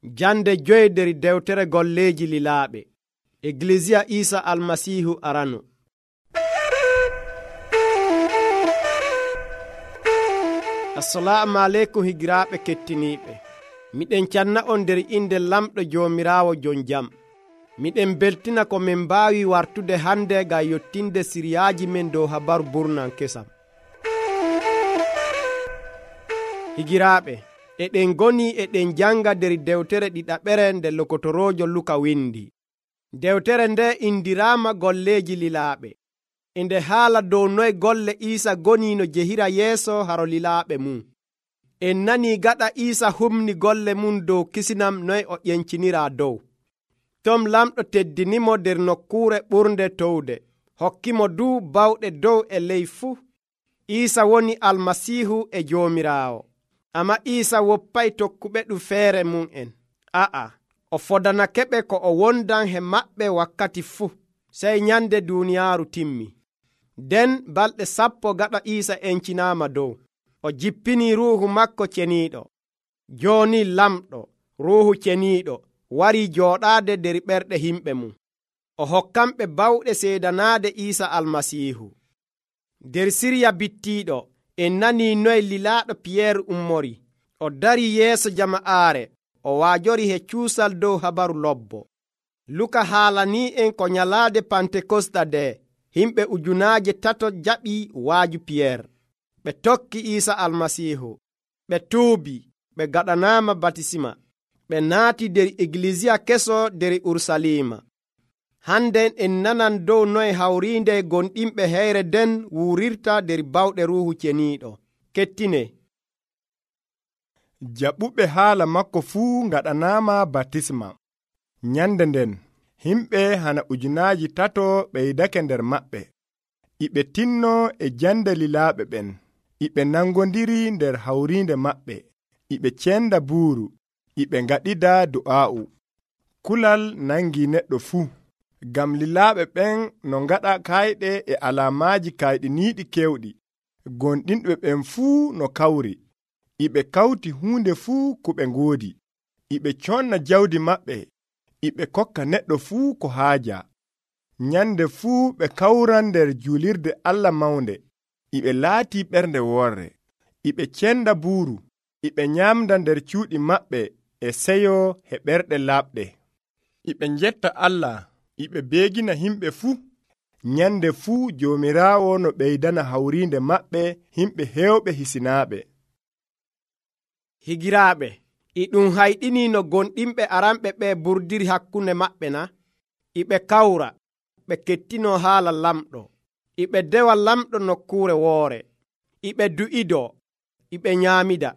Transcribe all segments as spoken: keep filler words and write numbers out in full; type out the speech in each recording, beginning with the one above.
Jande joyi der dewtere golleeji lilaaɓe. Eglesiya Isa Almasiihu arano. Assalamu aleykum higiraaɓe kettiniiɓe. Miɗen canna on nder inde lamɗo Joomiraawo jon jam. Miɗen beltina ko min mbaawi wartude hande ngam yottinde siriyaaji men dow habaru burnan kesam. Higiraaɓe, eɗen goni eɗen janga nder dewtere ɗiɗaɓere nde lokotoroojo Luka windi. Dewtere nde indiraama golleeji lilaaɓe. Inde haala dow noy golle Iisa goni no jehira yeeso haro lilaaɓe mum. En nani gaɗa Iisa humni golle mum dow kisinam noy o ƴencinira dow. Tom lamɗo teddinimo nder nokkuure ɓurnde towde, hokkimo du bawɗe dow e ley fuu. Iisa woni Almasiihu e Joomiraawo. Amma Iisa woppay tokkuɓe ɗum feere mum en. A'a, o fodanakeɓe ko o wondan he maɓɓe wakkati fuu, sey nyande duuniyaaru timmi. Nden balɗe sappo gaɗa Iisa encinaama dow, o jippini ruuhu makko ceniiɗo. Jooni lamɗo, ruuhu ceniiɗo, warii jooɗaade nder ɓerɗe himɓe mum. O hokkamɓe bawɗe seedanaade Iisa Almasiihu. Nder sirya bittiiɗo, en nanii noy lilaaɗo Piyeer ummori. O darii yeeso jama'aare, o waajori he cuusal dow habaru lobbo. Luka haalanii en ko nyalaade Pantekosta nde himɓe ujunaaje tato jaɓii waaju Piyeer. Ɓe tokki Iisa Almasiihu. Ɓe tuubi, ɓe gaɗanaama batisima. Ɓe naati nder Eglesiya keso nder Urusalima. Hannden en nanan dow noy hawriinde gonɗinɓe heyre nden wuurirta nder bawɗe Ruuhu Ceniiɗo. Kettine. Jaɓuɓe haala makko fuu ngaɗanaama batisma. Nyande nden, himɓe hana ujunaaji tato ɓeydake nder maɓɓe. Iɓe tinno e jande lilaaɓe ɓen. Iɓe nangondiri nder hawriinde maɓɓe. Iɓe cenda buuru. Iɓe ngaɗida du'aa'u. Kulal nangi neɗɗo fuu. Gam lilaaɓe ɓen no ngaɗa kayɗe e alaamaaji kayɗiniiɗi kewɗi. Gonɗinɓe ɓen fuu no kawri. Iɓe kawti huunde fuu ko ɓe ngoodi. Iɓe conna jawdi maɓɓe. Iɓe kokka neɗɗo fuu ko haaja. Nyande fuu ɓe kawran nder juulirde Allah mawnde. Iɓe laati ɓernde worre. Iɓe cenda buuru. Iɓe nyamda nder cuuɗi maɓɓe e seyo he ɓerɗe laaɓɗe. Iɓe njetta Allah. Iɓe beegina himɓe fuu. Nyande fuu Joomiraawo no ɓeydana hawriinde maɓɓe himɓe heewɓe hisinaaɓe. Higiraaɓe, e ɗum hayɗini no gonɗinɓe aranɓe ɓe burdiri hakkunde maɓɓe na? Iɓe kawra, ɓe kettino haala lamɗo. Iɓe dewa lamɗo nokkuure woore. Iɓe du'ido, iɓe nyaamida.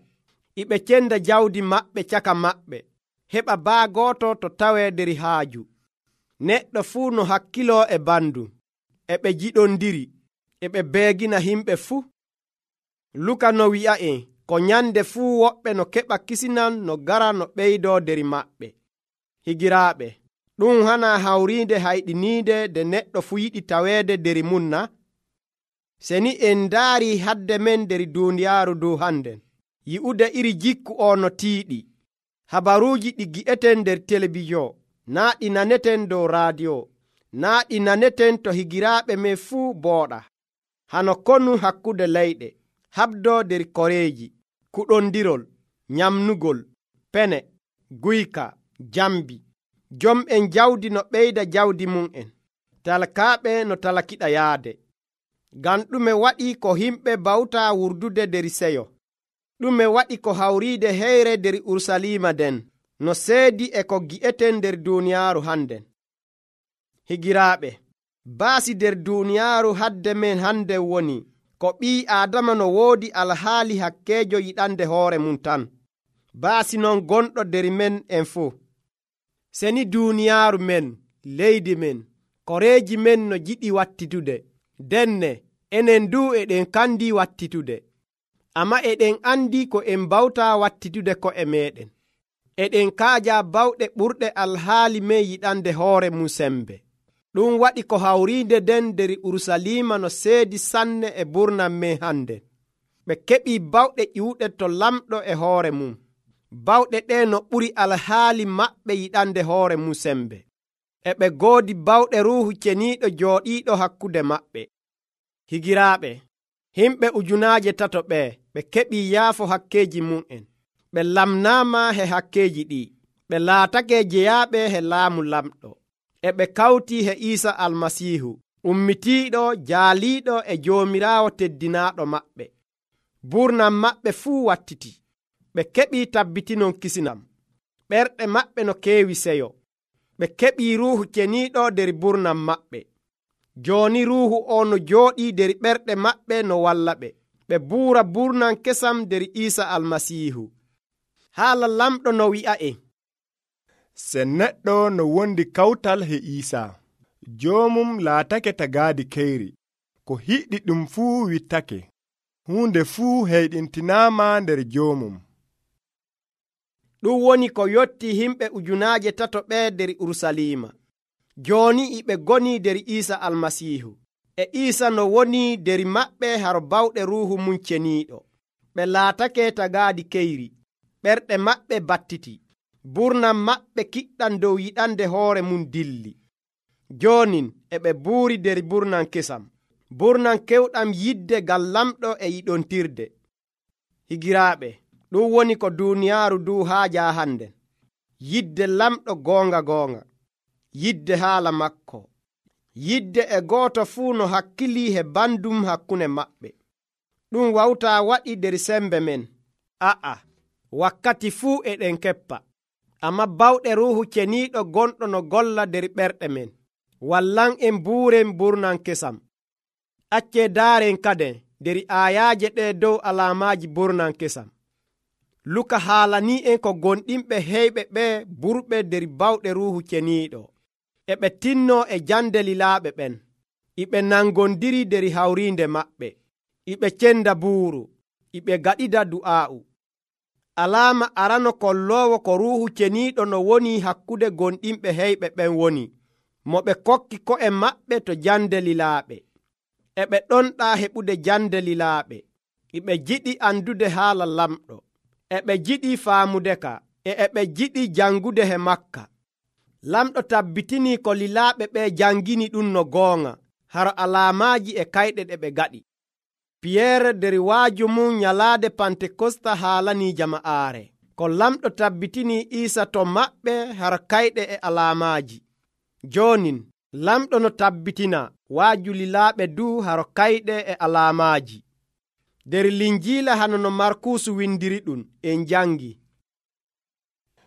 Iɓe cenda jawdi maɓɓe caka maɓɓe, heɓa baa gooto to tawee nder haaju. Neɗɗo fuu no hakkiloo e bandum. E ɓe jiɗondiri, e ɓe beegina himɓe fuu. Luka no wi'a'en ko nyande fuu woɓɓe no keɓa kisinan no gara no ɓeydoo nder maɓɓe. Higiraaɓe, ɗum hana hawriinde hayɗiniide nde neɗɗo fuu yiɗi taweede nder mum na? Seni en ndaarii hadde men nder duuniyaaru dow hannden, yi'ude iri jikku o no tiiɗi. Habaruuji ɗi gi'eten nder telebijon, naa ɗi naneten dow raadiyo, naa ɗi naneten to higiraaɓe men fuu booɗa. Hano konu hakkunde leyɗe, habdoo nder koreeji, kuɗondirol, nyamnugol, pene, guyka, jambi, jom'en jawdi no ɓeyda jawdi mum'en, talkaaɓe no talakiɗa yaade. Ngam ɗume waɗi ko himɓe bawtaa wurdude nder seyo? Ɗume waɗi ko hawriide heyre nder Urusalima nden, no seedi e ko gi'eten nder duuniyaaru hannden? Higiraaɓe, baasi nder duuniyaaru hadde men hande woni ko ɓii Aadama no woodi alhaali hakkeejo yiɗande hoore mum tan. Baasi non gonɗo nder men en fuu. Seni duuniyaaru men, leydi men, koreeji men no jiɗi wattitude, denne enen du eɗen kandi wattitude. Amma eɗen andi ko en mbawtaa wattitude ko'e meɗen. Eɗen kaaja bawɗe ɓurɗe alhaali men yiɗande hoore mum sembe. Ɗum waɗi ko hawriinde nden nder Urusalima no seedi sanne e burnan men hande. Ɓe keɓii bawɗe ƴiwɗe to lamɗo e hoore mum. bawɗe ɗe no ɓuri alhaali maɓɓe yiɗande hoore mum sembe. E ɓe goodi bawɗe ruuhu ceniiɗo jooɗiiɗo hakkunde maɓɓe. Higiraaɓe, himɓe ujunaaje tato ɓe ɓe keɓii yaafo hakkeeji mum'en. Ɓe lamnaama he hakkeeji ɗi. Ɓe laatake jeyaaɓe he laamu lamɗo. E ɓe kawtii he Iisa Almasiihu, ummitiiɗo jaaliiɗo e Joomiraawo teddinaaɗo maɓɓe. Burnam maɓɓe fuu wattiti. Ɓe keɓii tabbitinon kisinam. Ɓerɗe maɓɓe no keewi seyo. Ɓe keɓii ruuhu ceniiɗo der burnam maɓɓe. Jooni ruuhu o no jooɗii der ɓerɗe maɓɓe no walla ɓe. Ɓe buura burnam kesam der Iisa Almasiihu. Haala lamɗo no wi'a'en: se neɗɗo no wondi kawtal he Iisa, joomum laatake tagaadi keyri. Ko hiɗɗi ɗum fuu wittake. Huunde fuu heyɗintinaama nder joomum. Ɗum woni ko yotti himɓe ujunaaje tato ɓe der Urusalima. Jooni iɓe goni der Iisa Almasiihu. E Iisa no woni der maɓɓe haro bawɗe ruuhu mum ceniiɗo. Ɓe laatake tagaadi keyri. Ɓerɗe maɓɓe battiti. Burnam maɓɓe kiɗɗam dow yiɗande hoore mum dilli. Joonin e ɓe buuri der burnam kesam. Burnam kewɗam yidde ngam lamɗo e yiɗontirde. Higiraaɓe, ɗum woni ko duuniyaaru du haaja hannden. Yidde lamɗo goonga goonga. Yidde haala makko. Yidde e gooto fuu no hakkilii he bandum hakkunde maɓɓe. Ɗum wawtaa waɗi der sembe men. A'a, wakkati fuu eɗen keppa. Amma bawɗe ruuhu ceniiɗo gonɗo no golla der ɓerɗe men. Wallan en buuren burnam kesam. Accee daaren kaden der aayaaje ɗe dow alaamaaji burnam kesam. Luka haalanii en ko gonɗinɓe heyɓe ɓe burɓe der bawɗe ruuhu ceniiɗo. E ɓe tinno e jande lilaaɓe ɓen. Iɓe nangondiri der hawriinde maɓɓe. Iɓe cenda buuru. Iɓe gaɗida du'aa'u. Alaama arano kolloowo ko ruuhu ceniiɗo no woni hakkude gonɗinɓe heyɓe ɓen woni mo ɓe kokki ko'e maɓɓe to jande lilaaɓe. E ɓe ɗonɗaa heɓude jande lilaaɓe. Iɓe jiɗi andude haala lamɗo. E ɓe jiɗi faamudeka. E e ɓe jiɗi jangude he makka. Lamɗo tabbitinii ko lilaaɓe ɓe jangini ɗum no goonga haro alaamaaji e kayɗe ɗe ɓe gaɗi. Piyeere der waaju mum nyalaade Pantekosta haalanii jama'aare ko lamɗo tabbitinii Iisa to maɓɓe haro kayɗe e alaamaaji. Joonin lamɗo no tabbitina waaju lilaaɓe du haro kayɗe e alaamaaji. Der Linjiila hano no Markuusu windiri ɗum en jangi.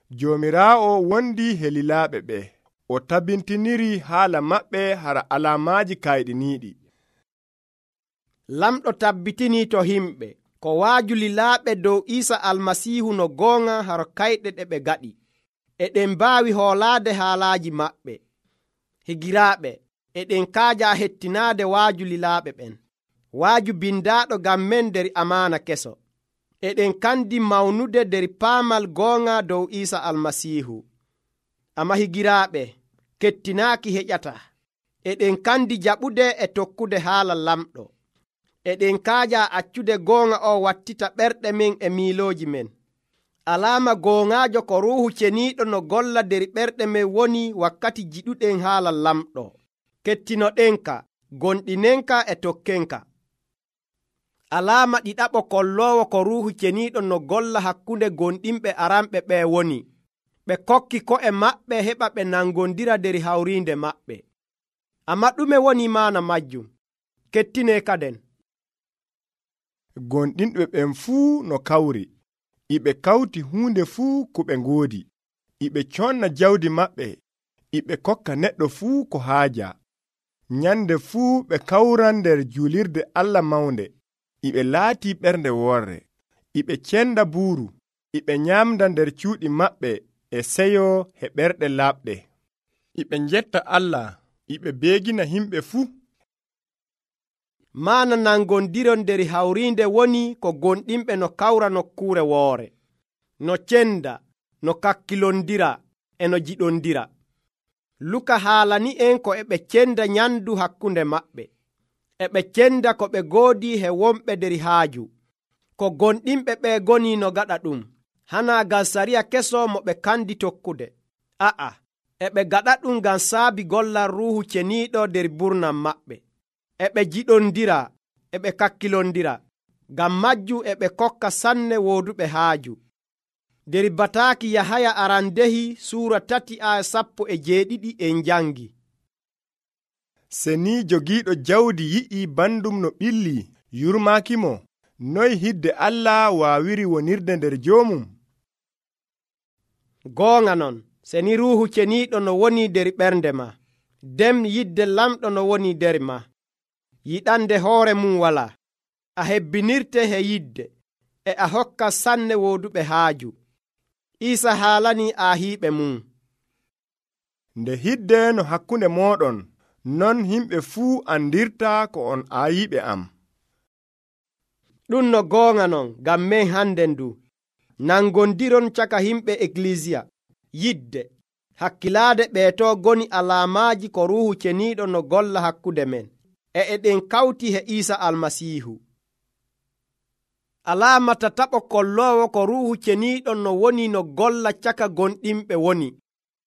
Joomiraawo wondi he lilaaɓe ɓe. O tabbintiniri haala maɓɓe hara alaamaaji kayɗiniiɗi. Lamɗo tabbitinii to himɓe ko waaju lilaaɓe dow Iisa Almasiihu no goonga haro kayɗe ɗe ɓe gaɗi. Eɗen mbaawi hoolaade haalaaji maɓɓe. Higiraaɓe, eɗen kaaja hettinaade waaju lilaaɓe ɓen. Waaju bindaaɗo ngam men der amaana keso. Eɗen kandi mawnude der paamal goonga dow Iisa Almasiihu. Amma higiraaɓe, kettinaaki heƴata. Eɗen kandi jaɓude e tokkude haala lamɗo. Eɗen kaaja accude goonga o wattita ɓerɗe men e miilooji men. Alaama goongaajo ko ruuhu ceniiɗo no golla der ɓerɗe men woni wakkati jiɗuɗen haala lamɗo. Kettinoɗenka, gonɗinenka e tokkenka. Alaama ɗiɗaɓo kolloowo ko ruuhu ceniiɗo no golla hakkunde gonɗinɓe aranɓe ɓe woni ɓe kokki ko'e maɓɓe heɓa ɓe nangondira der hawriinde maɓɓe. Amma ɗume woni maana majjum? Kettine kaden. Gonɗinɓe ɓen fuu no kawri. Iɓe kawti huunde fuu ko ɓe ngoodi. Iɓe conna jawdi maɓɓe. Iɓe kokka neɗɗo fuu ko haaja. Nyande fuu ɓe kawran nder julirde Allah mawnde. Iɓe laati ɓernde worre. Iɓe cenda buuru. Iɓe nyamda nder cuuɗi maɓɓe e seyo he ɓerɗe laaɓɗe. Iɓe njetta Allah. Iɓe beegina himɓe fuu. Maana nangondiron nder hawriinde woni ko gonɗinɓe no kawra nokkuure woore, no cenda, no kakkilondira e no jiɗondira. Luka haalani en ko eɓe cenda nyandu hakkunde maɓɓe. Eɓe cenda ko ɓe goodi he wonɓe der haaju. Ko gonɗinɓe ɓe goni no gaɗa ɗum. hana ngam sariya keso mo ɓe kandi tokkude. A'a, e ɓe gaɗa ɗum ngam saabi gollal Ruuhu Ceniiɗo nder burnam maɓɓe. E ɓe jiɗondira, e ɓe kakkilondira. Ngam majju e ɓe kokka sanne wooduɓe haaju. Nder bataaki Yahaya arandehi suura tati aya sappo e jeeɗiɗi en jangi. Seni jogiiɗo jawdi yi'i bandum no ɓilli yurmaakimo, noy hidde Allah waawiri wonirde nder joomum? Goonga non, seni Ruuhu Ceniiɗo no woni nder ɓernde ma, dem yidde lamɗo no woni nder ma. Yiɗande hoore mum walaa. A hebbinirte he yidde, e a hokka sanne wooduɓe haaju. Iisa haalani aahiiɓe mum. Nde hidde no hakkunde mooɗon, non himɓe fuu andirta ko on aayiɓe am. Ɗum no goonga non ngam men hande ndu. Nangondiron caka himɓe eklisiya. Yidde, hakkilaade ɓeeto goni alaamaaji ko Ruuhu Ceniiɗo no golla hakkunde men, e eɗen kawti he Iisa Almasiihu. Alaama tataɓo kolloowo ko Ruuhu Ceniiɗo no woni no golla caka gonɗinɓe woni,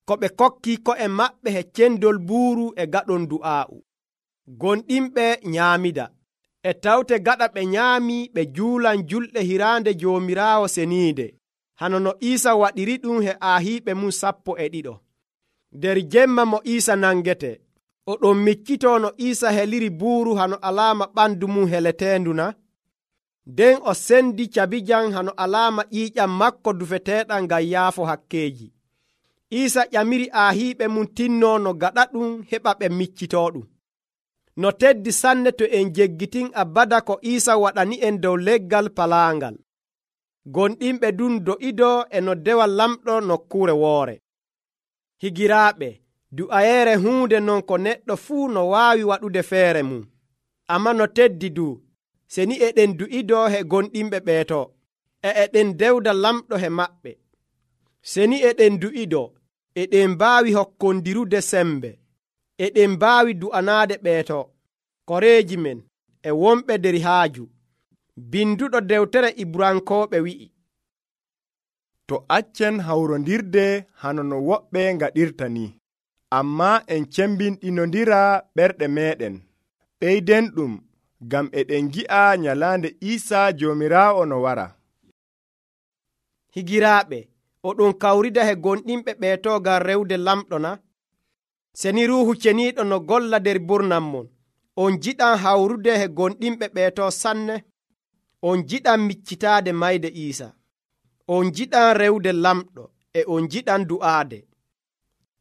ko ɓe kokki ko'e maɓɓe he cendol buuru e gaɗon du'aa'u. Gonɗinɓe nyaamida, e tawte gaɗa ɓe nyaami ɓe juulan julɗe hiraande Joomiraawo seniinde, hano no Iisa waɗiri ɗum he aahiiɓe mum sappo e ɗiɗo. Nder jemma mo Iisa nangete, o ɗon miccitoo no Iisa heliri buuru hano alaama ɓandu mum heleteendu na? Nden o sendi cabijam hano alaama ƴiiƴam makko dufeteeɗam ngam yaafo hakkeeji. Iisa ƴamiri aahiiɓe mum tinno no gaɗa ɗum heɓa ɓe miccitoo ɗum. No teddi sanne to en jeggitin abada ko Iisa waɗani en dow leggal palaangal. Gonɗinɓe ɗum do'idoo e no dewa lamɗo nokkuure woore. Higiraaɓe, du'ayeere huunde non ko neɗɗo fuu no waawi waɗude feere mum. Amma no teddi du, seni eɗen du'idoo he gonɗinɓe ɓeeto, e eɗen dewda lamɗo he maɓɓe. Seni eɗen du'idoo, eɗen mbaawi hokkondirude sembe, eɗen mbaawi du'anaade ɓeeto, koreeji men, e wonɓe nder haaju. Binduɗo dewtere Ibrankooɓe wi'i, to accen hawrondirde hano no woɓɓe ngaɗirta ni, ammaa en cembinɗinondira ɓerɗe meɗen. Ɓeyden ɗum ngam eɗen gi'a nyalaande Iisaa Joomiraawo no wara. Higiraaɓe, oɗon kawrida he gonɗinɓe ɓeeto ngam rewde lamɗo na? Seni Ruuhu Ceniiɗo no golla nder burnam mon, on jiɗan hawrude he gonɗinɓe ɓeeto sanne? On jiɗan miccitaade mayde Iisa. On jiɗan rewde lamɗo, e on jiɗan du'aade.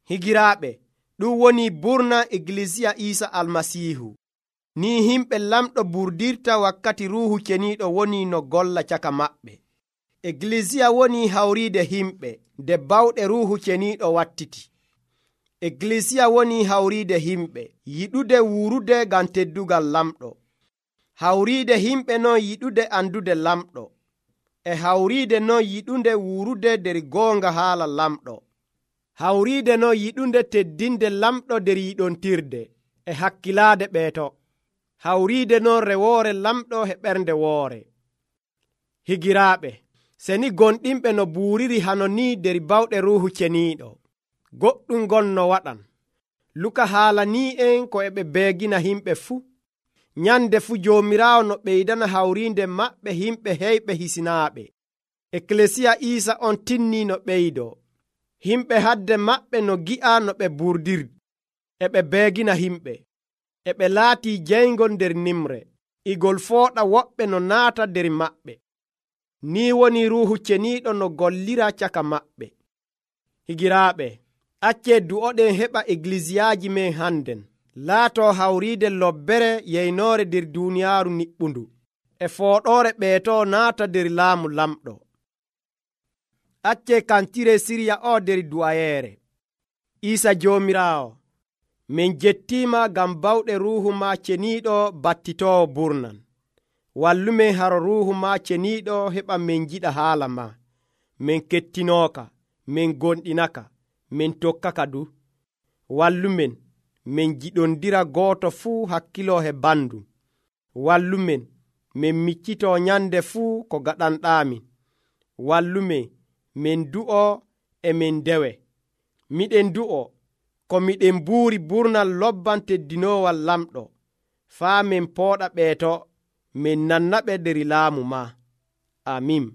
Higiraaɓe, ɗum woni burna Eglisiya Iisa Almasiihu. Ni himɓe lamɗo burdirta wakkati Ruuhu Ceniiɗo woni no golla caka maɓɓe. Eglisiya woni hawriide himɓe nde bawɗe Ruuhu Ceniiɗo wattiti. Eglisiya woni hawriide himɓe yiɗude wuurude ngam teddugal lamɗo. Hawriide himɓe non yiɗude andude lamɗo, e hawriide non yiɗunde wuurude nder goonga haala lamɗo. Hawriide non yiɗunde teddinde lamɗo nder yiɗontirde, e hakkilaade ɓeeto. Hawriide non rewoore lamɗo he ɓernde woore. Higiraaɓe, seni gonɗinɓe no buuriri hano ni nder bawɗe Ruuhu Ceniiɗo, goɗɗum gon no waɗan. Luka haalanii en ko e ɓe beegina himɓe fuu. Nyande fu Joomiraawo no ɓeydana hawriinde maɓɓe himɓe heyɓe hisinaaɓe. Eklesiya Iisa on tinni no ɓeydoo. Himɓe hadde maɓɓe no gi'a no ɓe burdirdi, e ɓe beegina himɓe, e ɓe laatii jeyngol nder nimre, igol fooɗa woɓɓe no naata nder maɓɓe. Ni woni Ruuhu Ceniiɗo no gollira caka maɓɓe. Higiraaɓe, accee du'oɗen heɓa eglisiyaaji men hannden laatoo hawriide lobbere yeynoore nder duuniyaaru niɓɓundu, e fooɗoore ɓeetoo naata nder laamu lamɗo. Accee kantire sirya o nder du'ayeere. Iisa Joomiraawo, min jettiima ngam bawɗe Ruuhu ma Ceniiɗo battitoowo burnan. Wallumen haro Ruuhu ma Ceniiɗo heɓa min jiɗa haala ma. Min kettinooka, min gonɗinaka, min tokkaka du. Wallumen min jiɗondira gooto fuu hakkiloo he bandu. Wallumen min miccitoo nyande fuu ko gaɗanɗaamin. Wallumen min du'o e min dewe. Miɗen du'o ko miɗen buuri burnal lobban teddinoowal lamɗo, faa min pooɗa ɓeeto min nannaɓe der laamu ma. Amin.